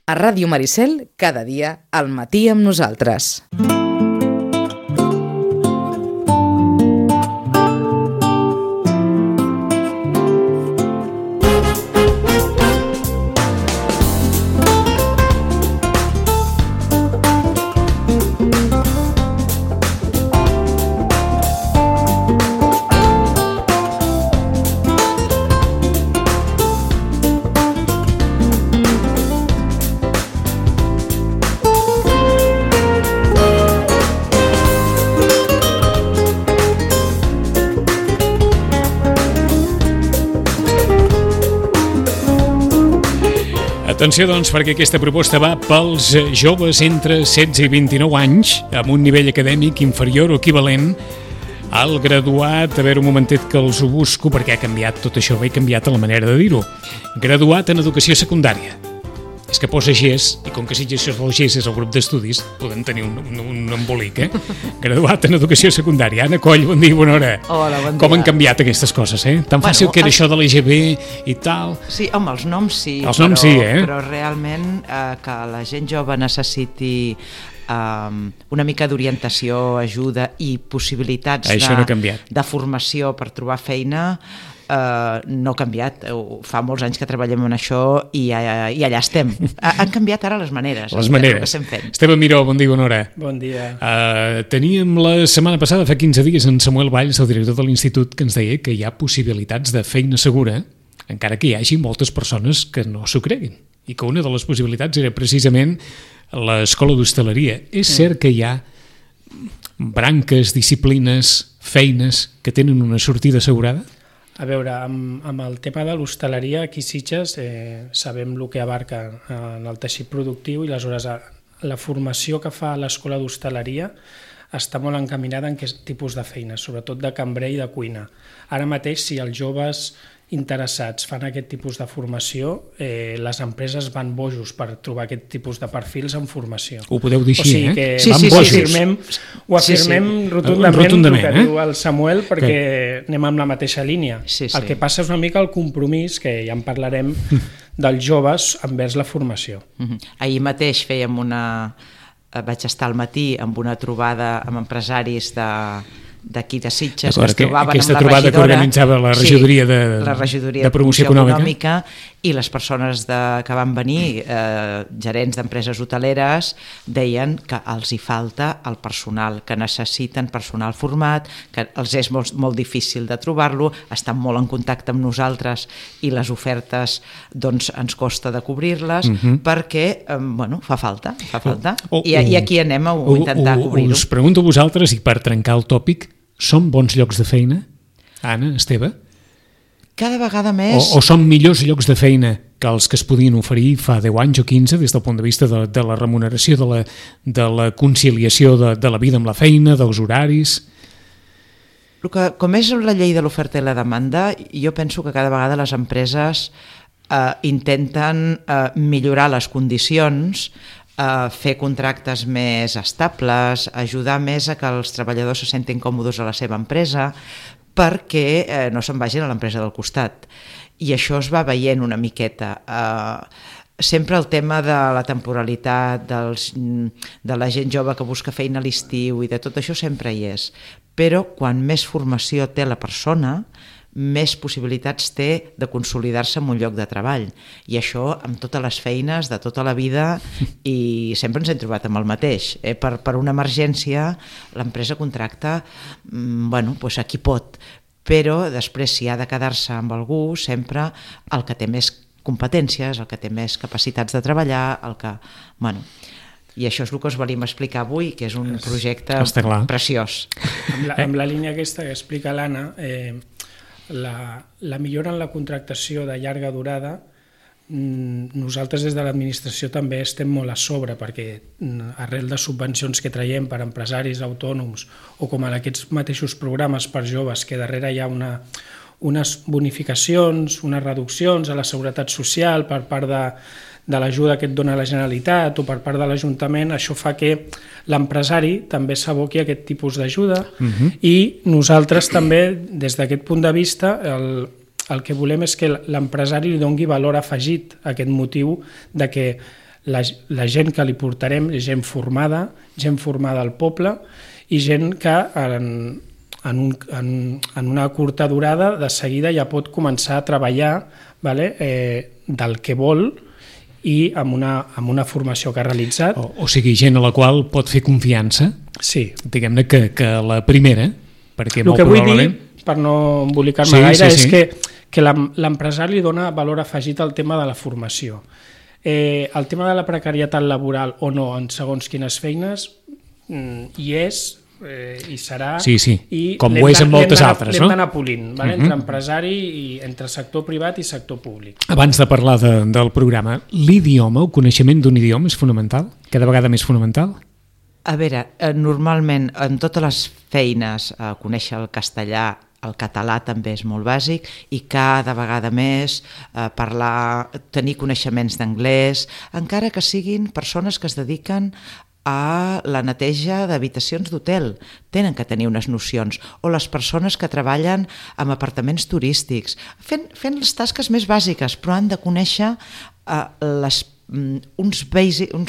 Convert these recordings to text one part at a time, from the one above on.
A Ràdio Maricel, cada dia, al matí amb nosaltres. Atenció, doncs, perquè aquesta proposta va pels joves entre 16 i 29 anys amb un nivell acadèmic inferior o equivalent al graduat. A veure, un momentet que els ho busco perquè ha canviat tot això, he canviat la manera de dir-ho. Graduat en educació secundària. És que posa GES, i com que si això del GES és el grup d'estudis, podem tenir un embolic, Graduat en educació secundària. Anna Coll, bon dia, bona hora. Hola, bon dia. Com han canviat aquestes coses, Tan fàcil que era això de l'EGB i tal. Sí, home, els noms sí. Els noms sí, Però realment que la gent jove necessiti una mica d'orientació, ajuda i possibilitats de formació per trobar feina, no ha canviat. Fa molts anys que treballem en això i allà estem. Han canviat ara les maneres. Les maneres. Esteve Miró, bon dia, bona hora. Bon dia. Teníem la setmana passada, fa 15 dies, en Samuel Valls, el director de l'Institut, que ens deia que hi ha possibilitats de feina segura, encara que hi hagi moltes persones que no s'ho creguin. I que una de les possibilitats era precisament l'escola d'hostaleria. És cert que hi ha branques, disciplines, feines que tenen una sortida assegurada? A veure, amb el tema de l'hostaleria, aquí a Sitges sabem el que abarca en el teixit productiu i aleshores la formació que fa l'escola d'hostaleria està molt encaminada en aquest tipus de feina, sobretot de cambrer i de cuina. Ara mateix, si els joves interessats fan aquest tipus de formació, les empreses van bojos per trobar aquest tipus de perfils en formació. Ho podeu dir així, Van bojos. Ho afirmem rotundament el que diu el Samuel, perquè anem amb la mateixa línia. El que passa és una mica el compromís, que ja en parlarem, dels joves envers la formació. Ahir mateix vaig estar al matí amb una trobada amb empresaris d'aquí de Sitges, que es trobaven amb la regidora. Aquesta trobada que organitzava la regidoria de promoció econòmica, i les persones que van venir, gerents d'empreses hoteleres, deien que els hi falta el personal, que necessiten personal format, que els és molt difícil de trobar-lo, estan molt en contacte amb nosaltres i les ofertes doncs, ens costa de cobrir-les, perquè fa falta. I aquí anem a intentar cobrir-ho. Us pregunto a vosaltres, i per trencar el tòpic, són bons llocs de feina? Anna, Esteve? Cada vegada més... O són millors llocs de feina que els que es podien oferir fa 10 anys o 15 des del punt de vista de la remuneració, de la conciliació de la vida amb la feina, dels horaris? Com és la llei de l'oferta i la demanda, jo penso que cada vegada les empreses intenten millorar les condicions, fer contractes més estables, ajudar més a que els treballadors se sentin còmodes a la seva empresa, perquè no se'n vagin a l'empresa del costat. I això es va veient una miqueta. Sempre el tema de la temporalitat, de la gent jove que busca feina a l'estiu i de tot això sempre hi és. Però quan més formació té la persona, més possibilitats té de consolidar-se en un lloc de treball. I això amb totes les feines de tota la vida, i sempre ens hem trobat amb el mateix. Per una emergència l'empresa contracta a qui pot, però després si ha de quedar-se amb algú, sempre el que té més competències, el que té més capacitats de treballar, i això és el que us venim a explicar avui, que és un projecte preciós. Amb la línia aquesta que explica l'Anna, la millora en la contractació de llarga durada, nosaltres des de l'administració també estem molt a sobre, perquè arrel de subvencions que traiem per empresaris autònoms o com en aquests mateixos programes per joves, que darrere hi ha unes bonificacions, unes reduccions a la seguretat social per part de l'ajuda que et dona la Generalitat o per part de l'Ajuntament, això fa que l'empresari també s'aboqui a aquest tipus d'ajuda i nosaltres també, des d'aquest punt de vista, el que volem és que l'empresari li doni valor afegit a aquest motiu de que la gent que li portarem és gent formada al poble i gent que en una curta durada de seguida ja pot començar a treballar del que vol i amb una formació que ha realitzat. O sigui, gent a la qual pot fer confiança, sí. Diguem-ne que la primera, perquè el que vull dir, per no embolicar-me gaire, és que l'empresari dona valor afegit al tema de la formació. El tema de la precarietat laboral o no en segons quines feines hi és i serà, i com ho és en moltes altres, no? L'hem d'anar polint, entre empresari i entre sector privat i sector públic. Abans de parlar del programa, l'idioma, el coneixement d'un idioma és fonamental? Cada vegada més fonamental? A veure, normalment en totes les feines conèixer el castellà, el català també és molt bàsic i cada vegada més tenir coneixements d'anglès, encara que siguin persones que es dediquen a la neteja d'habitacions d'hotel, tenen que tenir unes nocions, o les persones que treballen en apartaments turístics, fent les tasques més bàsiques, però han de conèixer uns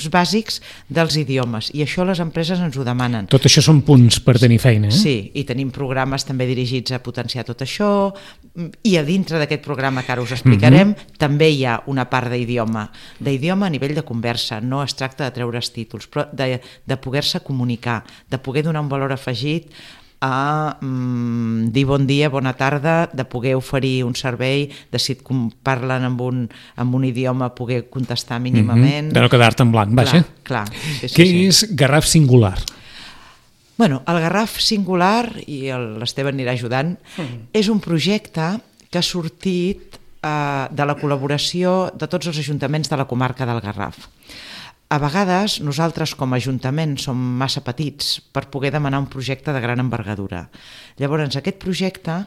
bàsics dels idiomes, i això les empreses ens ho demanen. Tot això són punts per tenir feina, eh? Sí, i tenim programes també dirigits a potenciar tot això, i a dintre d'aquest programa que ara us explicarem també hi ha una part d'idioma a nivell de conversa. No es tracta de treure's títols, però de poder-se comunicar, de poder donar un valor afegit a dir bon dia, bona tarda, de poder oferir un servei, de si et parlen amb un idioma poder contestar mínimament. De no quedar-te en blanc, vaja. Clar. Què és Garraf Singular? Bueno, el Garraf Singular, i l'Esteve anirà ajudant, és un projecte que ha sortit de la col·laboració de tots els ajuntaments de la comarca del Garraf. A vegades nosaltres com a Ajuntament som massa petits per poder demanar un projecte de gran envergadura. Llavors aquest projecte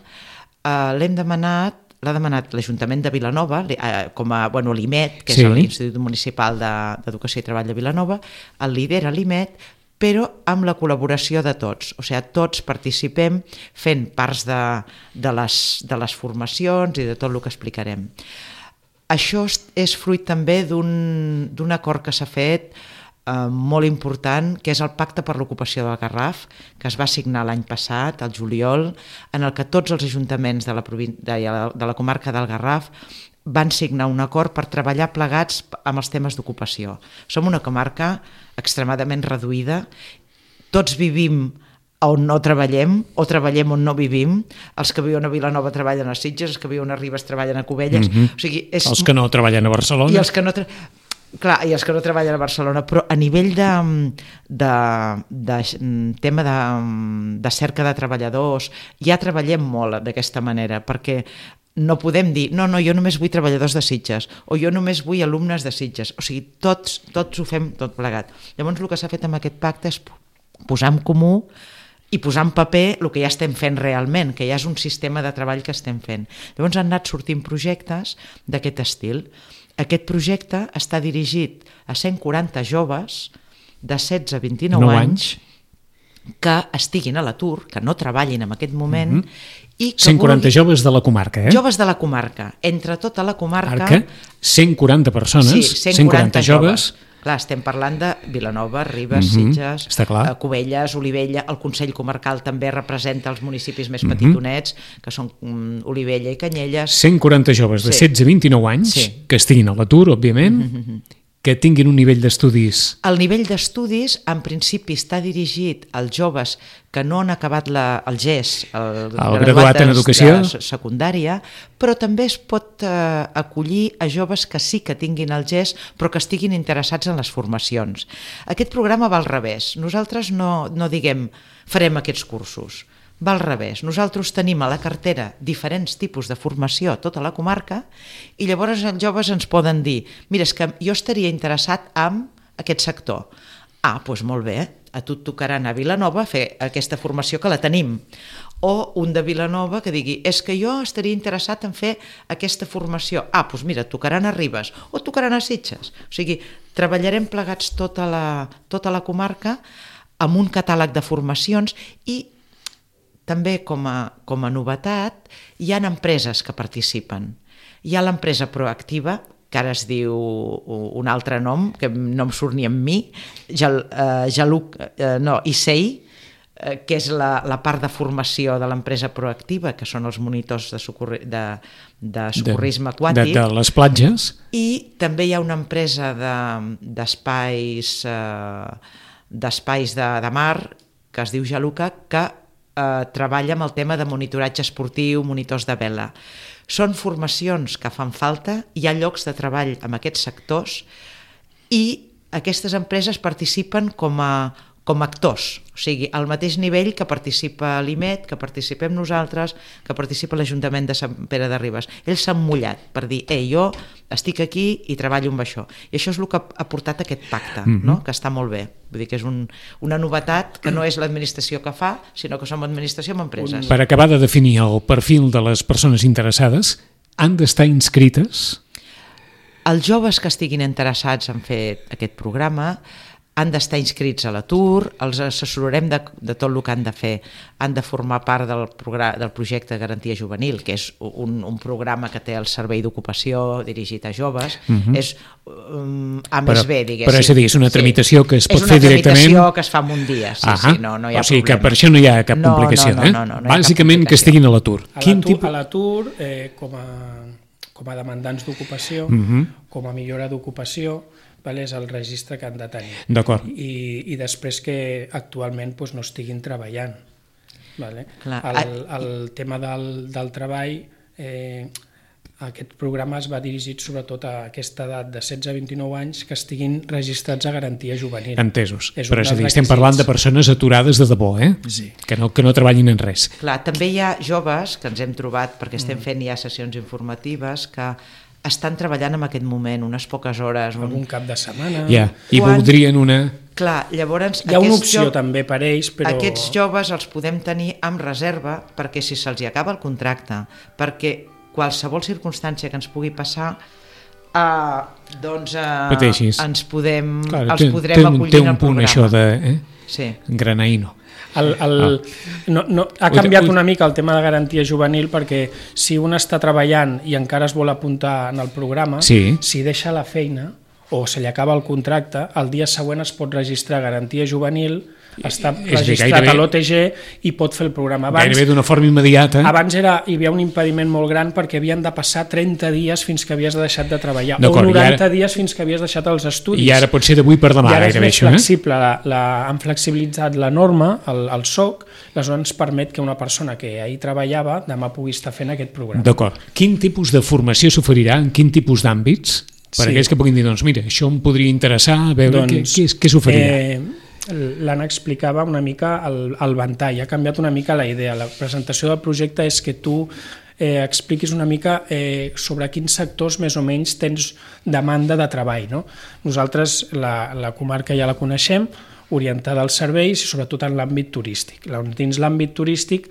l'ha demanat l'Ajuntament de Vilanova, com a l'IMET, que és l'Institut Municipal d'Educació i Treball de Vilanova, el lidera l'IMET, però amb la col·laboració de tots. O sigui, tots participem fent parts de les formacions i de tot el que explicarem. Això és fruit també d'un acord que s'ha fet molt important, que és el Pacte per l'Ocupació del Garraf, que es va signar l'any passat, al juliol, en el que tots els ajuntaments de la comarca del Garraf van signar un acord per treballar plegats amb els temes d'ocupació. Som una comarca extremadament reduïda, tots vivim on no treballem, o treballem on no vivim. Els que viuen a Vilanova treballen a Sitges, els que viuen a Ribes treballen a Cubelles. O sigui, els que no treballen a Barcelona. I els que no treballen a Barcelona, però a nivell de tema de cerca de treballadors ja treballem molt d'aquesta manera, perquè no podem dir, no, jo només vull treballadors de Sitges, o jo només vull alumnes de Sitges. O sigui, tots ho fem tot plegat. Llavors el que s'ha fet amb aquest pacte és posar en comú i posar en paper el que ja estem fent realment, que ja és un sistema de treball que estem fent. Llavors han anat sortint projectes d'aquest estil. Aquest projecte està dirigit a 140 joves de 16 a 29 anys que estiguin a l'atur, que no treballin en aquest moment. I que 140 joves de la comarca, eh? Joves de la comarca. Entre tota la comarca... Arca, 140 persones, sí, 140 joves. Clar, estem parlant de Vilanova, Ribes, Sitges, Cubelles, Olivella. El Consell Comarcal també representa els municipis més petitonets, que són Olivella i Canyelles. 140 joves de 16 a 29 anys, que estiguin a l'atur, òbviament, que tinguin un nivell d'estudis. El nivell d'estudis, en principi, està dirigit als joves que no han acabat el GES, el graduat en educació secundària, però també es pot acollir a joves que sí que tinguin el GES, però que estiguin interessats en les formacions. Aquest programa va al revés. Nosaltres no diguem farem aquests cursos. Va al revés. Nosaltres tenim a la cartera diferents tipus de formació a tota la comarca i llavors els joves ens poden dir, mira, és que jo estaria interessat en aquest sector. Doncs molt bé, a tu et tocarà anar a Vilanova a fer aquesta formació que la tenim. O un de Vilanova que digui, és que jo estaria interessat en fer aquesta formació. Doncs mira, et tocarà anar a Ribes o et tocarà anar a Sitges. O sigui, treballarem plegats tota la comarca amb un catàleg de formacions i també com a novetat hi ha empreses que participen. Hi ha l'empresa proactiva, que ara es diu un altre nom, que no em surt ni amb mi, ISEI, que és la part de formació de l'empresa proactiva, que són els monitors de socorrisme aquàtic. De les platges. I també hi ha una empresa d'espais de mar, que es diu Jaluca, que treballa amb el tema de monitoratge esportiu, monitors de vela. Són formacions que fan falta, hi ha llocs de treball en aquests sectors i aquestes empreses participen com a actors, o sigui, al mateix nivell que participa l'IMET, que participem nosaltres, que participa l'Ajuntament de Sant Pere de Ribes. Ells s'han mullat per dir, jo estic aquí i treballo amb això. I això és el que ha portat aquest pacte, no? Que està molt bé. Vull dir que és una novetat que no és l'administració que fa, sinó que som administració amb empreses. Per acabar de definir el perfil de les persones interessades, han d'estar inscrites? Els joves que estiguin interessats en fer aquest programa han d'estar inscrits a l'atur, els assessorarem de tot el que han de fer. Han de formar part del projecte de Garantia Juvenil, que és un programa que té el Servei d'Ocupació dirigit a joves. És A+B, diguéssim. Però és a dir, és una tramitació que es pot fer directament? És una tramitació que es fa en un dia, no hi ha problema. O sigui que per això no hi ha cap complicació. No, bàsicament que estiguin a l'atur. A l'atur, com a demandants d'ocupació, com a millora d'ocupació, és el registre que han de tenir. D'acord. I després que actualment no estiguin treballant. El tema del treball, aquest programa es va dirigit sobretot a aquesta edat de 16 a 29 anys que estiguin registrats a Garantia Juvenil. Entesos. Però és a dir, estem parlant de persones aturades de debò, Sí. Que no treballin en res. Clar, també hi ha joves que ens hem trobat, perquè estem fent ja sessions informatives, que estan treballant en aquest moment unes poques hores. Algun cap de setmana. I voldrien una... Clar, llavors... Hi ha una opció també per ells, però... Aquests joves els podem tenir amb reserva perquè si se'ls acaba el contracte, perquè qualsevol circumstància que ens pugui passar, ens podrem acollir en el programa. Té un punt això de granaïno. Ha canviat una mica el tema de garantia juvenil perquè si un està treballant i encara es vol apuntar en el programa, si deixa la feina o se li acaba el contracte, el dia següent es pot registrar a garantia juvenil, està registrat a l'OTG i pot fer el programa. Gairebé d'una forma immediata. Abans hi havia un impediment molt gran perquè havien de passar 30 dies fins que havies deixat de treballar o 90 dies fins que havies deixat els estudis. I ara pot ser d'avui per demà. I ara és més flexible. Han flexibilitzat la norma, el SOC, aleshores ens permet que una persona que ahir treballava demà pugui estar fent aquest programa. D'acord. Quin tipus de formació s'oferirà? En quin tipus d'àmbits? Per aquells que puguin dir, doncs mira, això em podria interessar, a veure què s'oferirà. L'Anna explicava una mica el ventall, ha canviat una mica la idea. La presentació del projecte és que tu expliquis una mica sobre quins sectors més o menys tens demanda de treball. Nosaltres la comarca ja la coneixem, orientada als serveis i sobretot en l'àmbit turístic. Dins l'àmbit turístic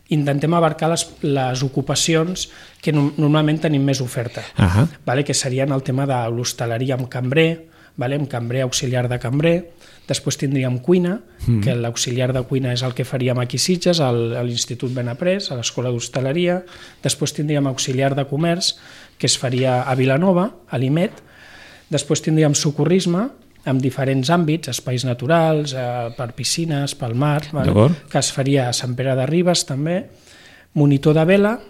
intentem abarcar les ocupacions que normalment tenim més oferta, que serien el tema de l'hostaleria amb cambrer, amb cambrer auxiliar de cambrer. Després tindríem cuina, que l'auxiliar de cuina és el que faríem aquí a Sitges, a l'Institut Benaprés, a l'Escola d'Hostaleria. Després tindríem auxiliar de comerç, que es faria a Vilanova, a l'IMET. Després tindríem socorrisme, amb diferents àmbits, espais naturals, per piscines, pel mar, que es faria a Sant Pere de Ribes també. Monitor de vela,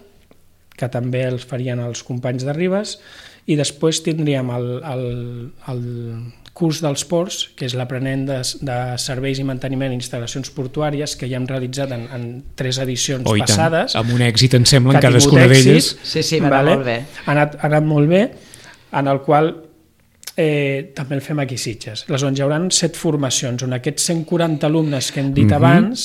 que també els farien els companys de Ribes. I després tindríem el curs dels ports, que és l'aprenent de serveis i manteniment d'instal·lacions portuàries, que ja hem realitzat en 3 edicions passades. Amb un èxit, em sembla, en cadascuna d'elles. Sí, va anar molt bé. Ha anat molt bé, en el qual també el fem aquí a Sitges. Aleshores, hi haurà 7 formacions, on aquests 140 alumnes que hem dit abans,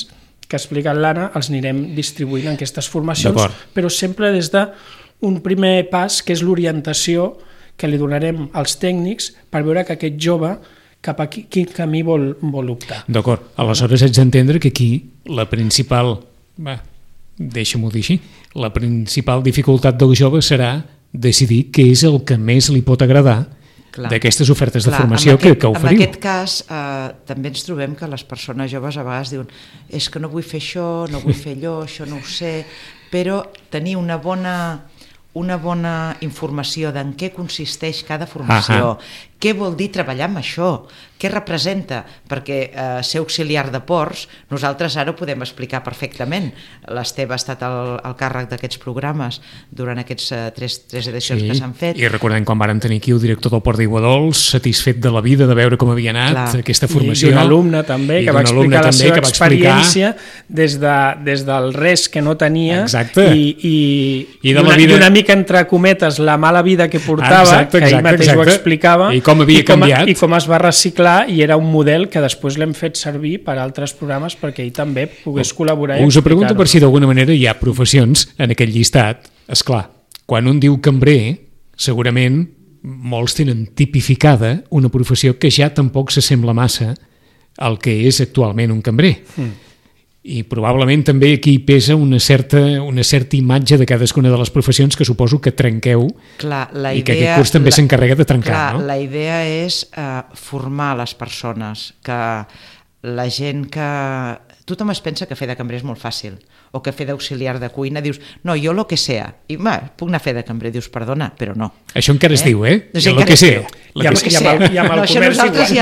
que ha explicat l'Anna, els anirem distribuint en aquestes formacions, però sempre des d'un primer pas, que és l'orientació que li donarem als tècnics per veure que aquest jove cap a quin camí vol optar. D'acord, aleshores haig d'entendre que aquí la principal, deixa-m'ho dir així, la principal dificultat del jove serà decidir què és el que més li pot agradar d'aquestes ofertes de formació que oferiu. En aquest cas també ens trobem que les persones joves a vegades diuen és que no vull fer això, no vull fer allò, això no ho sé, però tenir una bona una bona informació d'en què consisteix cada formació, què vol dir treballar amb això, què representa, perquè ser auxiliar de ports, nosaltres ara ho podem explicar perfectament. L'Esteve ha estat al càrrec d'aquests programes durant aquests tres edicions que s'han fet. I recordem quan vàrem tenir aquí el director del Port d'Iguadols, satisfet de la vida, de veure com havia anat aquesta formació. I un alumne també, que va explicar la seva experiència des del res que no tenia i una mica entre cometes la mala vida que portava, que ell mateix ho explicava, i com havia canviat. I com es va reciclar, i era un model que després l'hem fet servir per altres programes perquè ell també pogués col·laborar. Us pregunto per si d'alguna manera hi ha professions en aquell llistat. Esclar, quan un diu cambrer, segurament molts tenen tipificada una professió que ja tampoc s'assembla massa al que és actualment un cambrer. I probablement també aquí pesa una certa imatge de cadascuna de les professions que suposo que trenqueu i que aquest curs també s'encarrega de trencar. No? La idea és formar les persones, que la gent que... Tothom es pensa que fer de cambrer és molt fàcil, o que fer d'auxiliar de cuina dius, no, jo lo que sea, i puc anar a fer de cambrer, dius, perdona, però no. Això encara es diu, No sé, lo que sea. I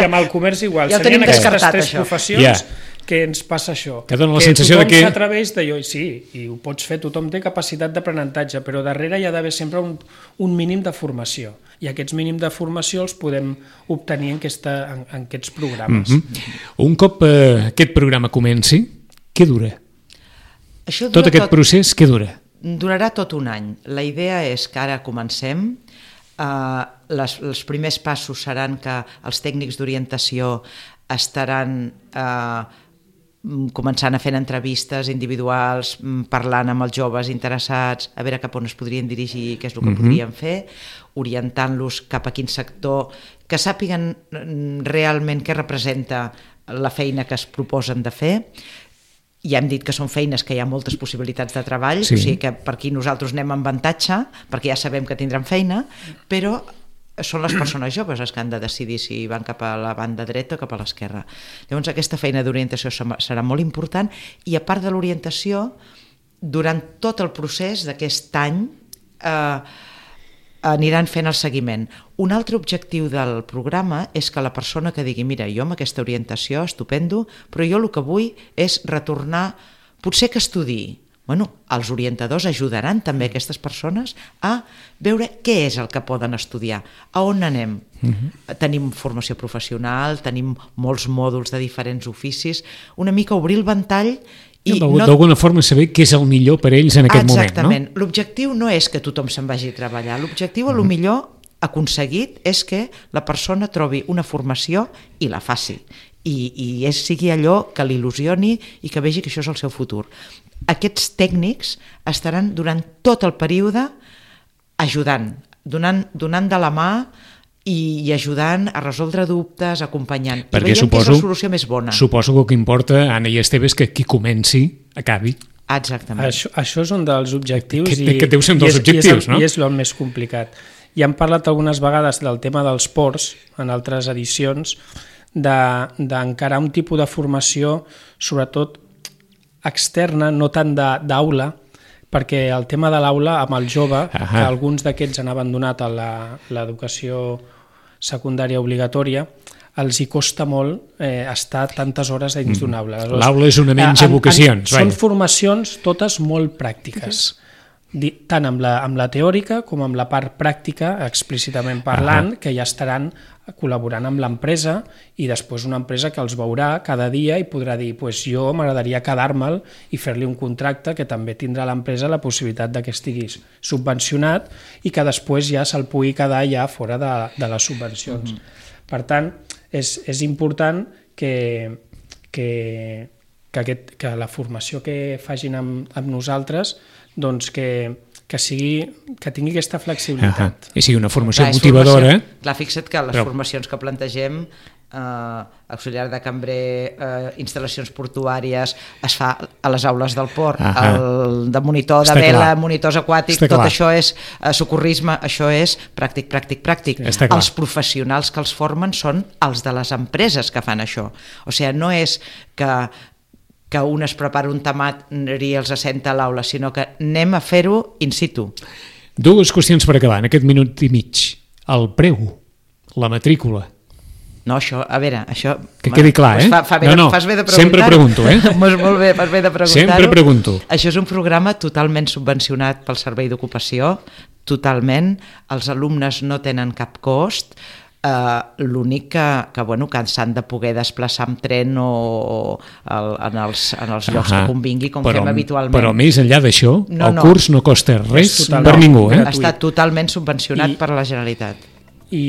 amb el comerç igual. Ja ho tenim descartat, tres professions que ens passa això. Que dona la sensació de que... tothom s'atreveix d'allò, sí, i ho pots fer, tothom té capacitat d'aprenentatge, però darrere hi ha d'haver sempre un mínim de formació, i aquests mínims de formació els podem obtenir en aquests programes. Un cop aquest programa comenci, què dura? Tot aquest procés, què dura? Durarà tot un any. La idea és que ara comencem, els primers passos seran que els tècnics d'orientació estaran començant a fer entrevistes individuals, parlant amb els joves interessats, a veure cap on es podrien dirigir, què és el que podrien fer, orientant-los cap a quin sector, que sàpiguen realment què representa la feina que es proposen de fer. Ja hem dit que són feines que hi ha moltes possibilitats de treball, o sigui que per aquí nosaltres anem amb avantatge, perquè ja sabem que tindran feina, però són les persones joves les que han de decidir si van cap a la banda dreta o cap a l'esquerra. Llavors aquesta feina d'orientació serà molt important, i a part de l'orientació, durant tot el procés d'aquest any aniran fent el seguiment. Un altre objectiu del programa és que la persona que digui, mira, jo amb aquesta orientació estupendo, però jo el que vull és retornar, potser que estudiï. Bueno, els orientadors ajudaran també aquestes persones a veure què és el que poden estudiar, a on anem. Tenim formació professional, tenim molts mòduls de diferents oficis, una mica obrir el ventall i d'alguna forma saber què és el millor per ells en aquest moment. Exactament. L'objectiu no és que tothom se'n vagi a treballar, l'objectiu a lo millor aconseguit és que la persona trobi una formació i la faci, i sigui allò que l'il·lusioni i que vegi que això és el seu futur. Aquests tècnics estaran durant tot el període ajudant, donant de la mà i ajudant a resoldre dubtes, acompanyant. I veiem que és la solució més bona. Suposo que el que importa, Anna i Esteve, és que qui comenci acabi. Exactament. Això és un dels objectius que deu ser un dels objectius, no? I és el més complicat. Ja hem parlat algunes vegades del tema dels ports en altres edicions, d'encarar un tipus de formació, sobretot externa, no tant d'aula, perquè el tema de l'aula amb el jove, que alguns d'aquests han abandonat l'educació secundària obligatòria, els hi costa molt estar tantes hores dins d'una aula. L'aula és una menys vocacions. Són formacions totes molt pràctiques, tant amb la teòrica com amb la part pràctica, explícitament parlant, que ja estaran col·laborant amb l'empresa, i després una empresa que els veurà cada dia i podrà dir, jo m'agradaria quedar-me'l i fer-li un contracte, que també tindrà l'empresa la possibilitat que estigui subvencionat i que després ja se'l pugui quedar ja fora de les subvencions. Per tant, és important que la formació que facin amb nosaltres doncs que tingui aquesta flexibilitat. I sigui una formació motivadora. Clar, fixa't que les formacions que plantegem, auxiliar de cambrer, instal·lacions portuàries, es fa a les aules del port, el de monitor de vela, monitors aquàtics, tot això és socorrisme, això és pràctic. Els professionals que els formen són els de les empreses que fan això. O sigui, no és que un es prepara un tamat i els assenta a l'aula, sinó que anem a fer-ho in situ. Dues qüestions per acabar, en aquest minut i mig. El preu, la matrícula. No, això, a veure, això... Que quedi clar, Fas bé de preguntar-ho. Sempre pregunto, Molt bé, fas bé de preguntar-ho. Sempre pregunto. Això és un programa totalment subvencionat pel Servei d'Ocupació, totalment. Els alumnes no tenen cap cost. L'únic que s'han de poder desplaçar amb tren o en els llocs que convingui, com fem habitualment. Però més enllà d'això, el curs no costa res per ningú. Està totalment subvencionat per la Generalitat. I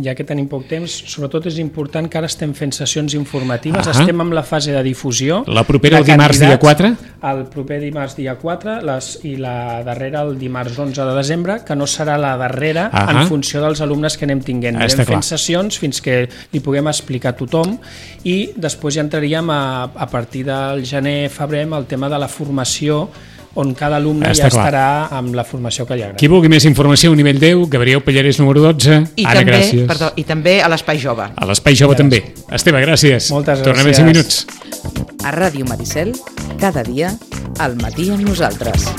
ja que tenim poc temps, sobretot és important que ara estem fent sessions informatives, estem en la fase de difusió. La propera el dimarts dia 4? El proper dimarts dia 4 i la darrera el dimarts 11 de desembre, que no serà la darrera en funció dels alumnes que anem tinguent. Anem fent sessions fins que li puguem explicar a tothom i després ja entraríem a partir del gener-febrer amb el tema de la formació, on cada alumne ja estarà amb la formació que li agrada. Qui vulgui més informació a nivell 10, Gabriel Pallarès, número 12. Anna, gràcies. I també a l'Espai Jove. A l'Espai Jove també. Esteve, gràcies. Moltes gràcies. Tornem en 5 minuts. A Ràdio Maricel, cada dia, al matí amb nosaltres.